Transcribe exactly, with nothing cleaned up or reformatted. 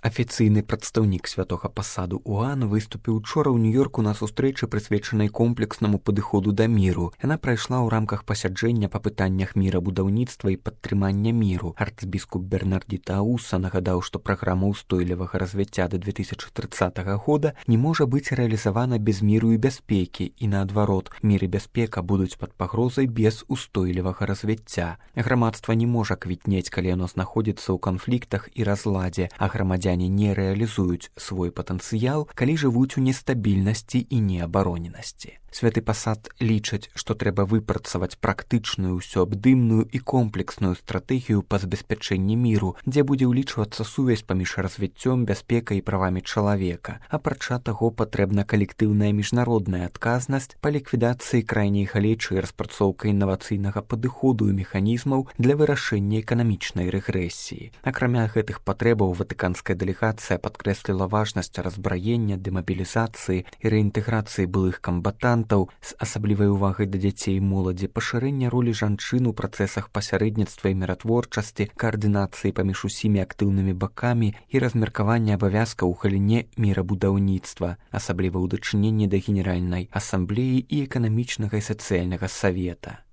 Афіцыйны прадстаўнік святога пасаду УАН выступіў учора ў Нью-Йорку на сустрэчы, прысвечанай комплекснаму падыходу да міру. Яна прайшла ў рамках пасяджэння па пытаннях мірабудаўніцтва і падтрымання міру. Арцбіскуп Бернардзіта Ауса нагадаў, што праграма ўстойлівага развіцця да две тысячы трыццатага года не можа быць рэалізавана без міру і бяспекі, і наадварот, мір і бяспека будуць пад пагрозай без устойлівага развіцця. Грамадства не можа квітнець, калі яно знаходзіцца ў канфліктах і разладзе, а грамадзяне не рэалізуюць свой патэнцыял, калі жывуць у нестабільнасці і неабароненасці. Святы пасад лічаць, што трэба выпрацаваць практычную, усёабдымную і комплексную стратэгію па забеспячэнні міру, дзе будзе ўлічвацца сувязь паміж развіццём, бяспекай і правамі чалавека. Апрача таго, патрэбна калектыўная міжнародная адказнасць па ліквідацыі крайняй галечы і распрацоўка інавацыйнага падыходу і механізмаў для вырашэння эканамічнай рэгрэсіі. Акрамя гэтых патрэбаў, ватыканская дэлегацыя падкрэсліла важнасць разбраення, дэмабілізацыі і рэінтэграцыі былых камбатантаў з асаблівай увагай да дзяцей і моладзі, пашырэння ролі жанчын у працэсах пасярэдніцтва і міратворчасці, каардынацыі паміж усімі актыўнымі бакамі і размеркавання абавязкаў у галіне мірабудаўніцтва, асабліва ў дачыненні да Генеральнай асамблеі і эканамічнага і сацыяльнага савета.